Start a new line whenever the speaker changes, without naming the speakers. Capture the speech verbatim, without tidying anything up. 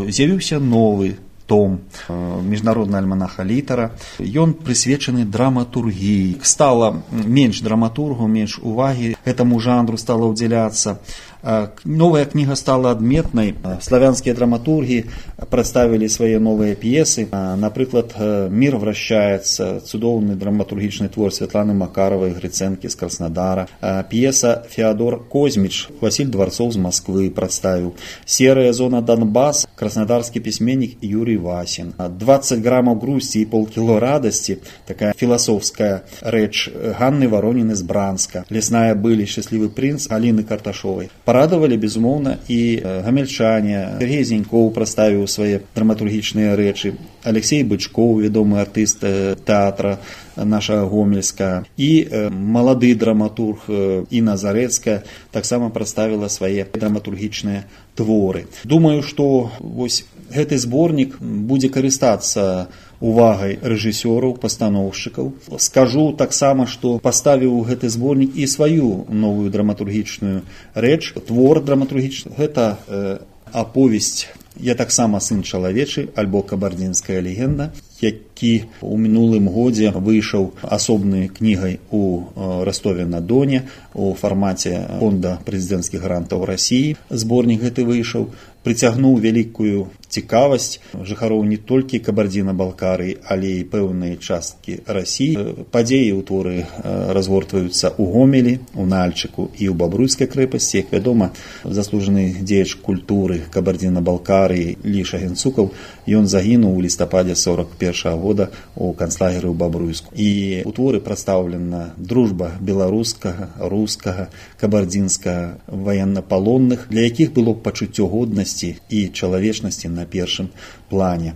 З'явіўся новы том міжнароднага альманаха літара. Ён прысвечаны драматургіі. Стала менш драматургу, менш увагі гэтаму жанру стала ўдзяляцца. Новая кніга стала адметнай. Славянскія драматургі прадставілі свае новыя п'есы. Напрыклад, «Мир вращается», цудоўны драматургічны твор Святланы Макаравай, Грыцэнкі з Краснадара. П'еса «Феодор Козьміч», Васіль Дварцоў з Масквы прадставіў. «Серая зона Донбасс», краснодарскі пісьменнік Юрий Васін. «двадцать граммов грусти и полкило радости», такая філасофская рэч Ганны Вароніны з Бранска. «Лесная быль», «Счастливый принц» Галіны Карташовай. Парадавалі, безумоўна, і гамельчане. Сергей Зенькоў прадставіў свае драматургічныя рэчы. Алексей Бычкоў, вядомы артыст тэатра нашага Гомельска. І малады драматург Інна Зарэцкая таксама прадставіла свае драматургічныя творы. Думаю, што вось гэты зборнік будзе карыстацца увагай рэжысёраў, пастаноўшчыкаў. Скажу таксама, што паставіў гэты зборнік і сваю новую драматургічную рэч, твор драматургічны. Гэта э, аповесць «Я таксама сын чалавечы» альбо «Кабардзінская легенда», які ў мінулым годзе выйшаў асобнай кнігай у Ростове-на-Доне у фармаце фонда прэзідэнцкіх грантаў Расіі. Зборнік гэты выйшаў, прыцягнуў вялікую цікавасць жыхароў не толькі Кабардзіна-Балкарыі, але і пэўнай часткі Расіі. Падзеі ў творы разгортваюцца ў Гомелі, у Нальчыку і ў Бабруйскай крэпасці. Як вядома, заслужаны дзеяч культуры Кабардзіна-Балкарыі Ліша Генцукаў, ён загінуў у лістападзе сорок першага года у канцлагеры ў Бабруйску. І ў творы прадстаўлена дружба беларускага, рускага, кабардзінскага ваеннапалонных, для якіх было пачуццё годнасці і чалавечнасці на першым плане.